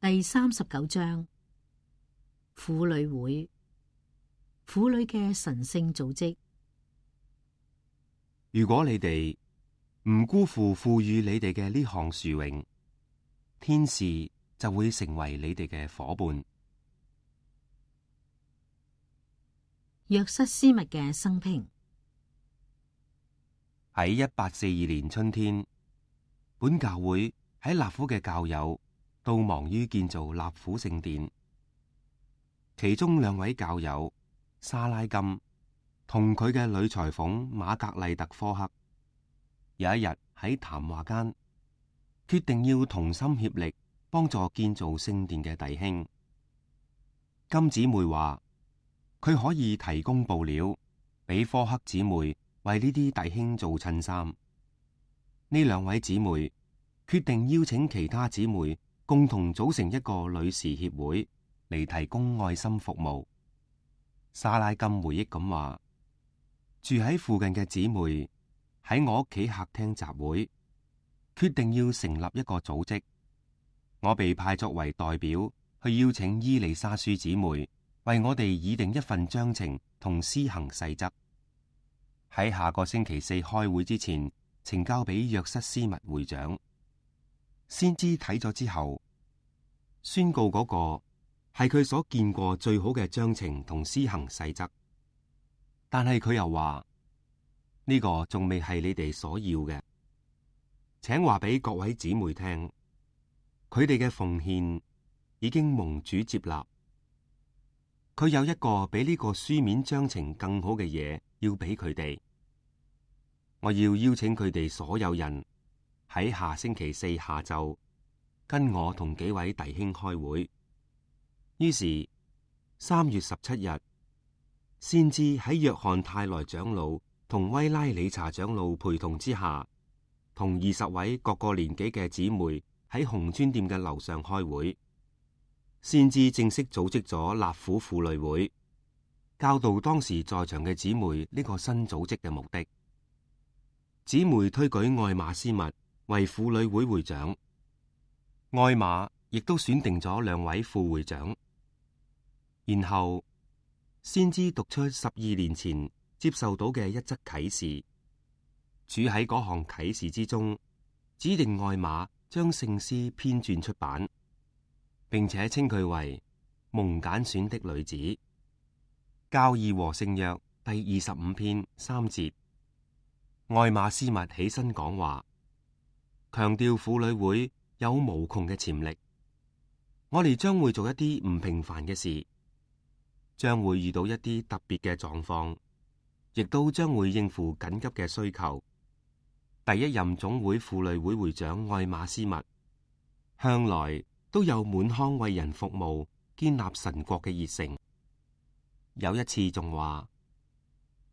第39章，婦女會，婦女嘅神聖組織。如果你哋唔辜負賦予你哋嘅呢項殊榮，天使就會成為你哋嘅夥伴。約瑟斯密嘅生平。喺1842年春天，本教會喺納府嘅教友都忙於建造納府聖殿，其中2位教友沙拉金同佢嘅女裁縫瑪格麗特科克，有一日喺談話間，決定要同心協力幫助建造聖殿嘅弟兄。金姊妹話佢可以提供布料俾科克姊妹為呢啲弟兄做襯衫。呢2位姊妹決定邀請其他姊妹共同組成一個女士協會嚟提供愛心服務。沙拉金回憶咁話，住喺附近嘅姊妹喺我屋企客廳集會，決定要成立一個組織。我被派作為代表去邀請伊麗莎書姊妹為我哋擬定一份章程同施行細則，喺下個星期4開會之前呈交俾約瑟斯密會長。先知睇咗之後，宣告嗰個係佢所見過最好嘅章程同施行細則，但係佢又話呢個仲未係你哋所要嘅，請話俾各位姊妹聽，佢哋嘅奉獻已經蒙主接納。佢有一個比呢個書面章程更好嘅嘢要俾佢哋。我要邀請佢哋所有人喺下星期4下晝跟我同幾位弟兄開會。於是3月17日，先知喺約翰泰萊長老同威拉理查長老陪同之下，同20位各個年紀嘅姊妹喺紅磚店嘅樓上開會。先知正式組織咗納府婦女會，教導當時在場嘅姊妹呢個新組織嘅目的。姊妹推舉愛馬斯密為婦女會會長，愛馬亦都選定咗2位副會長。然後先知讀出12年前接受到嘅一則啟示，主喺嗰項啟示之中指定愛馬將聖詩編撰出版，並且稱佢為蒙揀選的女子。教義和聖約第25篇3節，愛馬斯密起身講話，強調婦女會有無窮嘅潛力。我哋將會做一啲唔平凡嘅事，將會遇到一啲特別嘅狀況，亦都將會應付緊急嘅需求。第1任總會婦女會會長愛馬斯密向來都有滿腔為人服務、建立神國嘅熱誠。有一次仲話，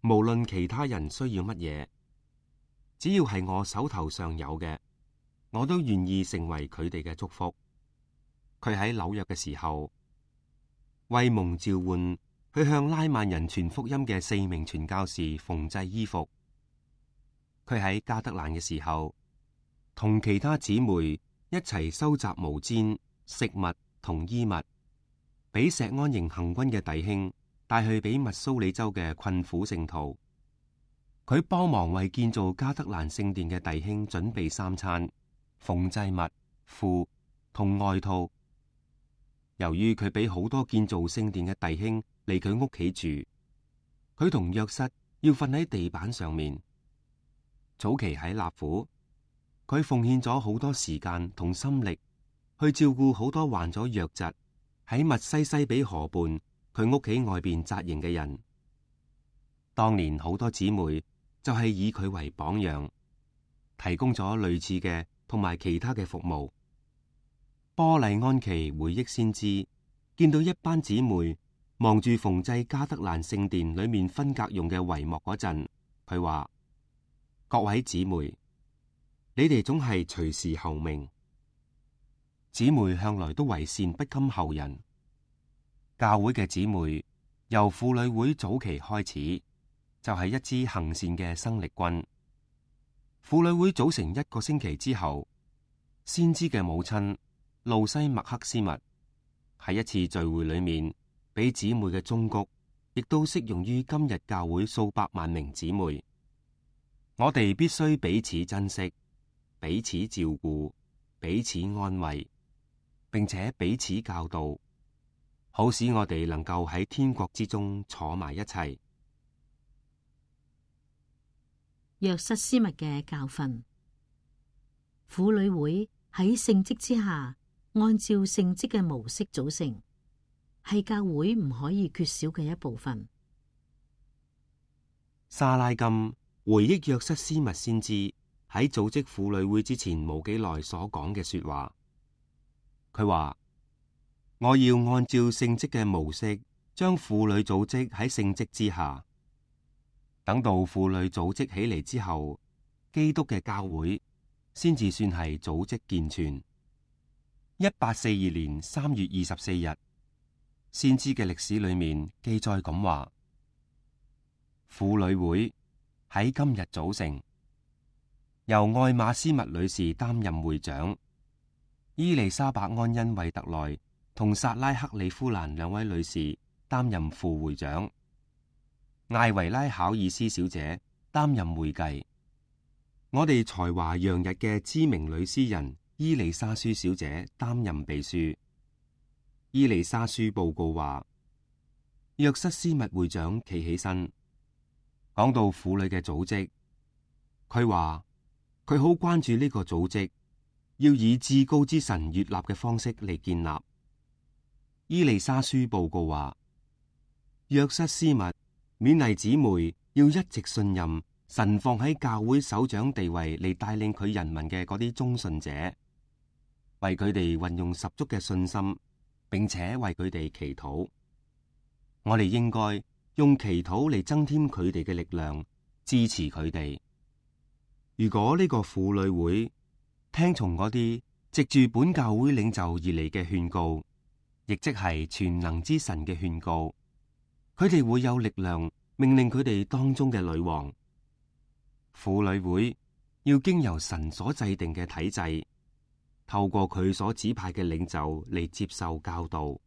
無論其他人需要乜嘢，只要係我手頭上有嘅，我都願意成為佢哋嘅祝福。佢喺紐約嘅時候，為蒙召喚去向拉曼人傳福音嘅4名傳教士縫製衣服。佢喺加德蘭嘅時候，同其他姊妹一齊收集毛氈、食物同衣物，俾錫安營行軍嘅弟兄帶去俾密蘇里州嘅困苦聖徒。佢幫忙為建造加德蘭聖殿嘅弟兄準備3餐、縫製物、褲同外套。由於佢俾好多建造聖殿嘅弟兄嚟佢屋企住，佢同約瑟要瞓喺地板上面。早期喺納府，佢奉獻咗好多時間同心力去照顧好多患咗瘧疾喺密西西比河畔佢屋企外邊紮營嘅人。當年好多姊妹就係以佢為榜樣，提供咗類似嘅同埋其他嘅服務。波麗安琪回憶先知，見到一班姊妹望住縫製加德蘭聖殿裏面分隔用嘅帷幕嗰陣，佢話：各位姊妹，你哋總係隨時候命。姊妹向來都為善不甘後人。教會嘅姊妹由婦女會早期開始，就係一支行善嘅生力軍。婦女會組成1個星期之後，先知嘅母親路西麥克斯密喺一次聚會裏面俾姊妹嘅忠告，亦都適用於今日教會數百萬名姊妹。我哋必須彼此珍惜，彼此照顧，彼此安慰，並且彼此教導，好使我哋能夠喺天國之中坐埋一齊。約瑟斯密嘅教訓，婦女會喺聖職之下，按照聖職嘅模式組成，係教會唔可以缺少嘅一部分。沙拉金回憶約瑟斯密先知喺組織婦女會之前冇幾耐所講嘅說話，佢話：我要按照聖職嘅模式，將婦女組織喺聖職之下。等到婦女組織起嚟之後，基督嘅教會先至算係組織健全。1842年3月24日，先知嘅歷史裏面記載咁話：婦女會喺今日組成，由愛馬斯密女士擔任會長，伊麗莎白安恩惠特萊同薩拉克里夫蘭兩位女士擔任副會長，艾維拉考爾斯小姐擔任會計，我哋才華洋溢嘅知名女詩人伊麗莎舒小姐擔任秘書。伊麗莎舒報告話，約瑟斯密會長企起身，講到婦女嘅組織，佢話佢好關注呢個組織，要以至高之神悅納嘅方式嚟建立。伊麗莎舒報告話，約瑟斯密勉勵姊妹要一直信任神放喺教會首長地位嚟帶領佢人民嘅嗰啲忠信者，為佢哋運用十足嘅信心，並且為佢哋祈禱。我哋應該用祈禱嚟增添佢哋嘅力量，支持佢哋。如果呢個婦女會聽從嗰啲藉住本教會領袖而嚟嘅勸告，亦即係全能之神嘅勸告，佢哋會有力量命令佢哋當中嘅女王。婦女會要經由神所制定嘅體制，透過佢所指派嘅領袖嚟接受教導。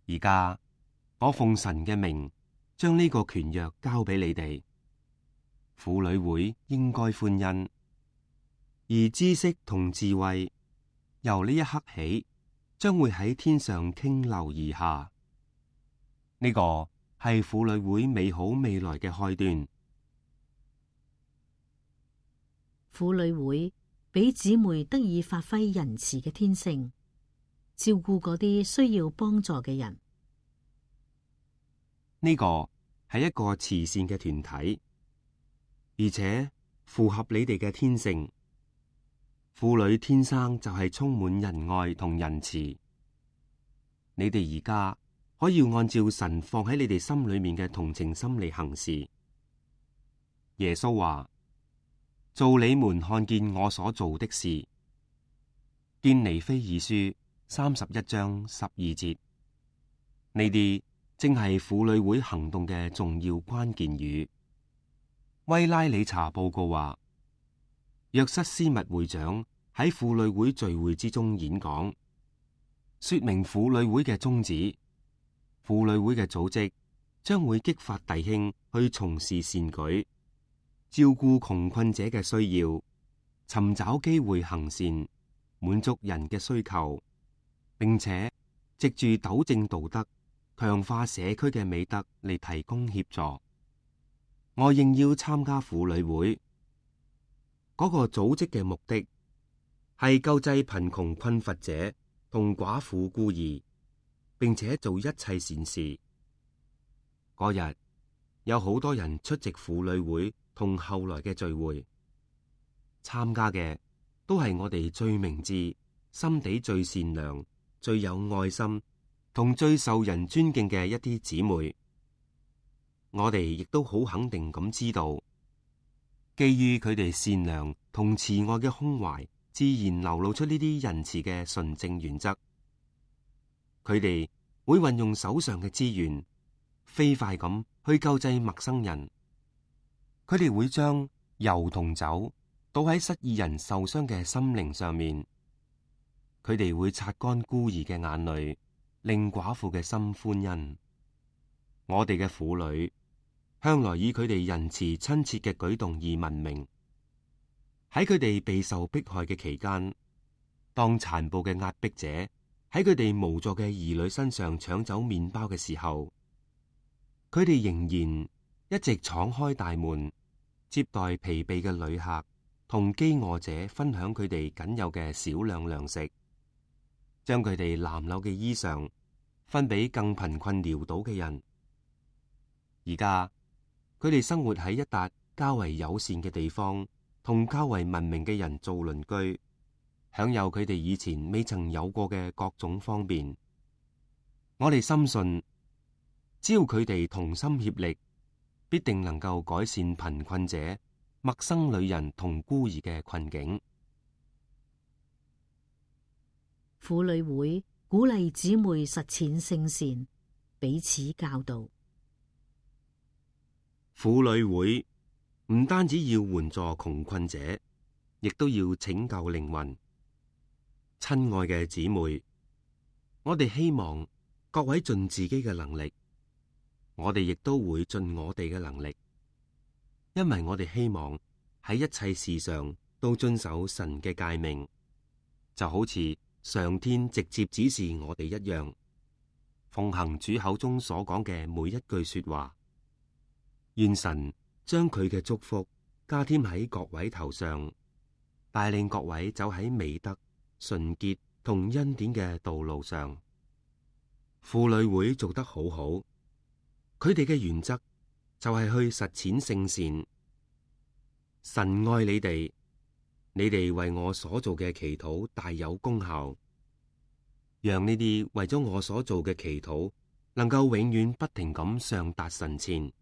而家我奉神嘅名將呢個權約交俾你哋。婦女會應該歡欣，而知識同智慧由呢一刻起將會喺天上傾流而下。呢個係婦女會美好未來嘅開端。婦女會俾姊妹得以發揮仁慈嘅天性，照顧嗰啲需要幫助嘅人。呢個係一個慈善嘅團體，而且符合你哋嘅天性。婦女天生就係充滿仁愛同仁慈。你哋而家可以按照神放喺你哋心裏面嘅同情心嚟行事。耶穌話：做你們看見我所做的事。堅尼非爾書31章12節。呢啲正係婦女會行動嘅重要關鍵語。威拉理查報告話，約瑟斯密會長喺婦女會聚會之中演講，說明婦女會嘅宗旨。婦女會嘅組織將會激發弟兄去從事善舉，照顧窮困者嘅需要，尋找機會行善，滿足人嘅需求，並且藉住糾正道德，強化社區嘅美德嚟提供協助。我應邀參加婦女會，嗰個組織嘅目的係救濟貧窮困乏者同寡婦孤兒，並且做一切善事。嗰日有好多人出席婦女會同後來嘅聚會，參加嘅都係我哋最明智、心地最善良、最有愛心同最受人尊敬嘅一啲姊妹。我哋亦都好肯定咁知道，基於佢哋善良同慈愛嘅胸懷，自然流露出呢啲仁慈嘅純正原則。佢哋會運用手上嘅資源，飛快咁去救濟陌生人。佢哋會將油同酒倒喺失意人受傷嘅心靈上面。佢哋會擦乾孤兒嘅眼淚，令寡婦嘅心歡欣。我哋嘅婦女向來以佢哋仁慈親切嘅舉動而聞名。喺佢哋備受迫害嘅期間，當殘暴嘅壓迫者喺佢哋無助嘅兒女身上搶走麵包嘅時候，佢哋仍然一直敞開大門，接待疲憊嘅旅客，同飢餓者分享佢哋僅有嘅少量糧食，將佢哋襤褸嘅衣裳分俾更貧困潦倒嘅人。而家佢哋生活喺一笪較為友善嘅地方，同較為文明嘅人做鄰居，享有佢哋以前未曾有過嘅各種方便。我哋深信，只要佢哋同心協力，必定能夠改善貧困者、陌生女人同孤兒嘅困境。婦女會鼓勵姊妹實踐聖善，彼此教導。婦女會唔單止要援助窮困者，亦都要拯救靈魂。親愛嘅姊妹，我哋希望各位盡自己嘅能力，我哋亦都會盡我哋嘅能力，因為我哋希望喺一切事上都遵守神嘅誡命，就好似上天直接指示我哋一樣，奉行主口中所講嘅每一句說話。願神將佢嘅祝福加添喺各位頭上，帶領各位走喺美德、純潔同恩典嘅道路上。婦女會做得好好，佢哋嘅原則就係去實踐聖善。神愛你哋，你哋為我所做嘅祈禱大有功效，讓呢啲為咗我所做嘅祈禱能夠永遠不停咁上達神前。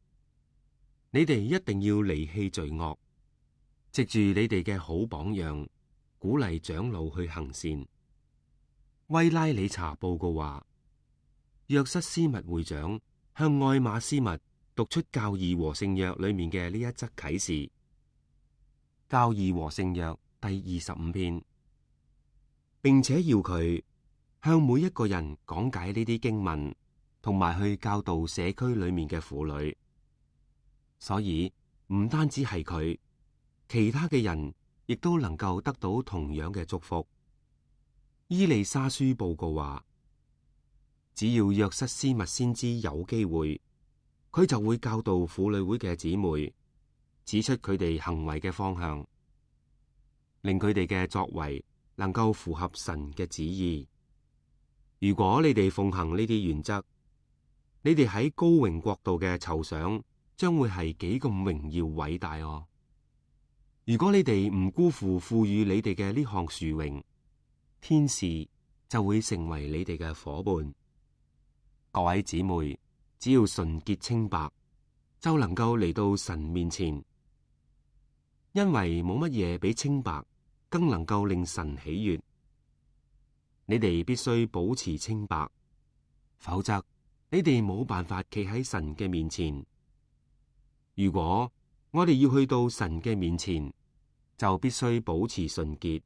你哋一定要離棄罪惡，藉住你哋嘅好榜樣，鼓勵長老去行善。威拉理查報告話，約瑟斯密會長向愛馬斯密讀出教義和聖約裏面嘅呢一則啟示。教義和聖約第25篇，並且要佢向每一個人講解呢啲經文，同埋去教導社區裏面嘅婦女。所以唔單止係佢，其他嘅人亦都能夠得到同樣嘅祝福。伊麗莎書報告話，只要約瑟斯密先知有機會，佢就會教導婦女會嘅姊妹，指出佢哋行為嘅方向，令佢哋嘅作為能夠符合神嘅旨意。如果你哋奉行呢啲原則，你哋喺高榮國度嘅酬賞將會係幾咁榮耀偉大哦！如果你哋唔辜負賦予你哋嘅呢項殊榮，天使就會成為你哋嘅夥伴。各位姊妹，只要純潔清白，就能夠嚟到神面前，因為冇乜嘢比清白更能夠令神喜悅。你哋必須保持清白，否則你哋冇辦法企喺神嘅面前。如果我哋要去到神嘅面前，就必須保持純潔，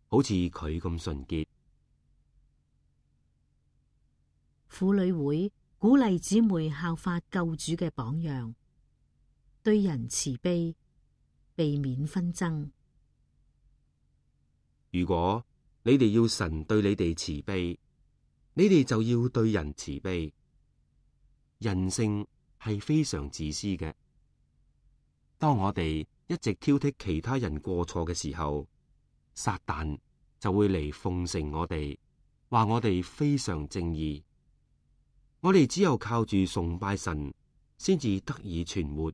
好似佢咁純潔。婦女會鼓勵姊妹效法救主嘅榜樣，對人慈悲，避免紛爭。如果你哋要神對你哋慈悲，你哋就要對人慈悲。人性係非常自私嘅。當我哋一直挑剔其他人過錯嘅時候，撒旦就會嚟奉承我哋，話我哋非常正義。我哋只有靠住崇拜神，先至得以存活。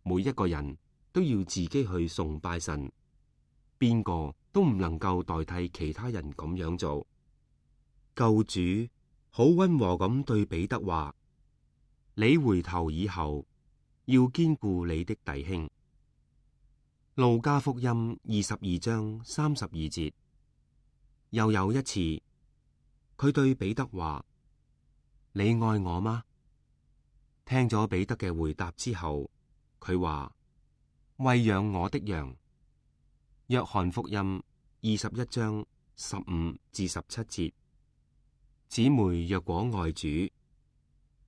每一個人都要自己去崇拜神，邊個都唔能夠代替其他人咁樣做。救主好溫和咁對彼得話：你回頭以後，要堅固你的弟兄。路加福音22章32節。又有一次，佢對彼得話：你愛我嗎？聽咗彼得嘅回答之後，佢話：餵養我的羊。約翰福音21章15至17節。姊妹若果愛主，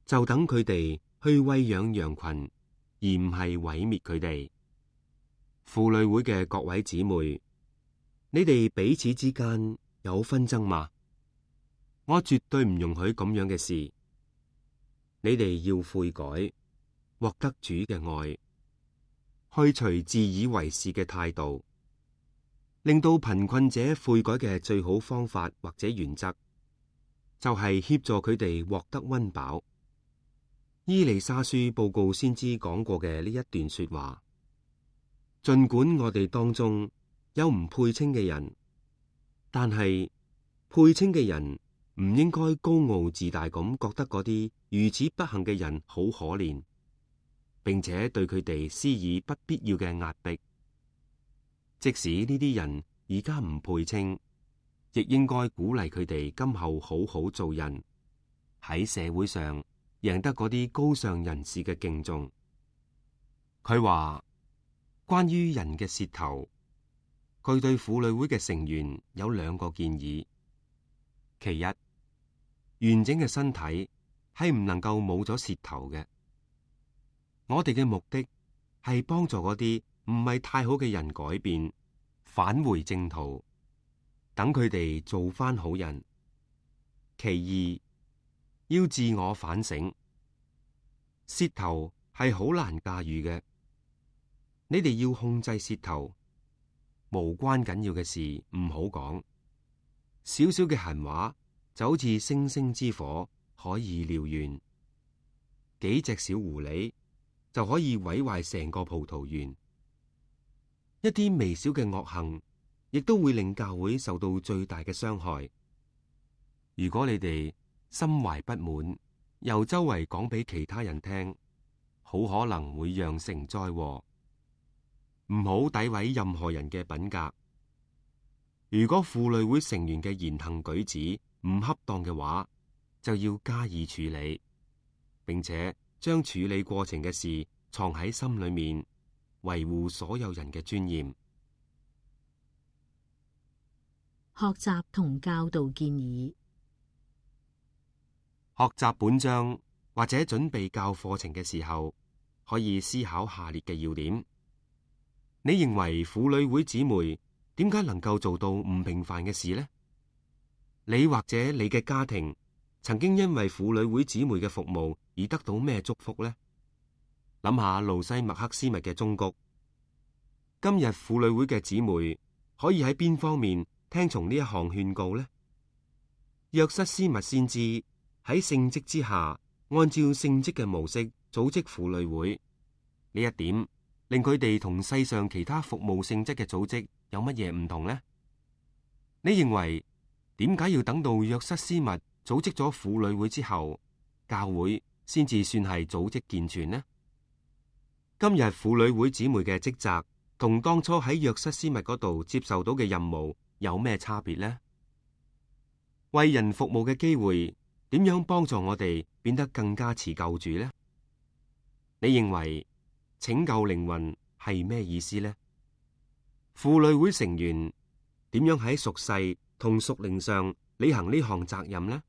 就等佢哋去餵養羊群，而唔係毀滅佢哋。婦女會嘅各位姊妹，你哋彼此之間有紛爭嗎？我絕對唔容許咁樣嘅事。你哋要悔改，獲得主嘅愛，去除自以為是嘅態度，令到貧困者悔改嘅最好方法或者原則，就係協助佢哋獲得溫飽。伊麗莎書報告先知講過嘅呢一段說話，盡管我哋當中有唔配稱嘅人，但係配稱嘅人唔應該高傲自大咁覺得嗰啲如此不幸嘅人好可憐，並且對佢哋施以不必要嘅壓迫。即使呢啲人而家唔配稱，亦應該鼓勵佢哋今後好好做人，喺社會上贏得嗰啲高尚人士嘅敬重。佢話關於人嘅舌頭，佢對婦女會嘅成員有2個建議。其一，完整嘅身體係唔能夠冇咗舌頭嘅。我哋嘅目的係幫助嗰啲唔係太好嘅人改變，返回正途，等佢哋做返好人。其二，要自我反省。舌頭係好難駕馭嘅，你哋要控制舌頭，無關緊要嘅事唔好講，少少嘅閒話就好似星星之火，可以燎原。幾隻小狐狸就可以毀壞成個葡萄園。一啲微小嘅惡行，亦都會令教會受到最大嘅傷害。如果你哋心懷不滿，又周圍講俾其他人聽，好可能會釀成災禍。唔好詆毀任何人嘅品格。如果婦女會成員嘅言行舉止唔恰當嘅話，就要加以處理，並且將處理過程嘅事藏喺心裏面，維護所有人嘅尊嚴。學習同教導建議。學習本章或者準備教課程嘅時候，可以思考下列嘅要點。你認為婦女會姊妹點解能夠做到唔平凡嘅事呢？你或者你嘅家庭曾經因為婦女會姊妹嘅服務而得到咩祝福呢？諗下路西麥克斯密嘅忠告。今日婦女會嘅姊妹可以喺邊方面聽從呢一項勸告呢？約瑟斯密先知喺聖職之下，按照聖職嘅模式組織婦女會，呢一點令佢哋同世上其他服務性質嘅組織有乜嘢唔同呢？你認為點解要等到約瑟斯密組織咗婦女會之後，教會先至算係組織健全呢？今日婦女會姊妹嘅職責同當初喺約瑟斯密嗰度接受到嘅任務有咩差別呢？為人服務嘅機會點樣幫助我哋變得更加似救主呢？你認為拯救靈魂係咩意思呢？婦女會成員點樣喺屬世同屬靈上履行呢項責任呢？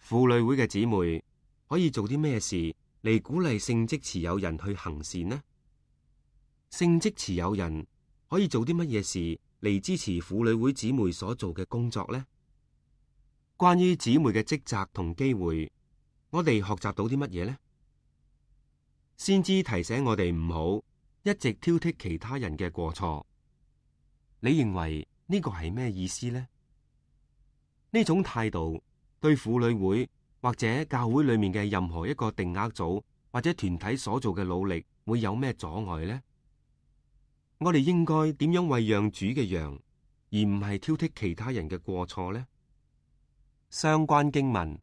婦女會嘅姊妹可以做啲咩事嚟鼓勵聖職持有人去行善呢？聖職持有人可以做啲乜嘢事嚟支持婦女會姊妹所做嘅工作呢？關於姊妹嘅職責同機會，我哋學習到啲乜嘢呢？先知提醒我哋唔好一直挑剔其他人嘅過錯。你認為呢個係咩意思呢？呢種態度對婦女會或者教會裏面嘅任何一個定額組或者團體所做嘅努力會有咩阻礙呢？我哋應該點樣餵養主嘅羊，而唔係挑剔其他人嘅過錯呢？相關經文：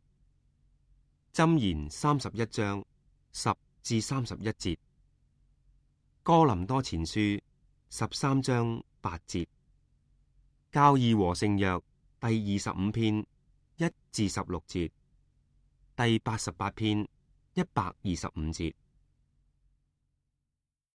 箴言31章10至31節，哥林多前書13章8節，教義和聖約第25篇1至16節，第88篇125節。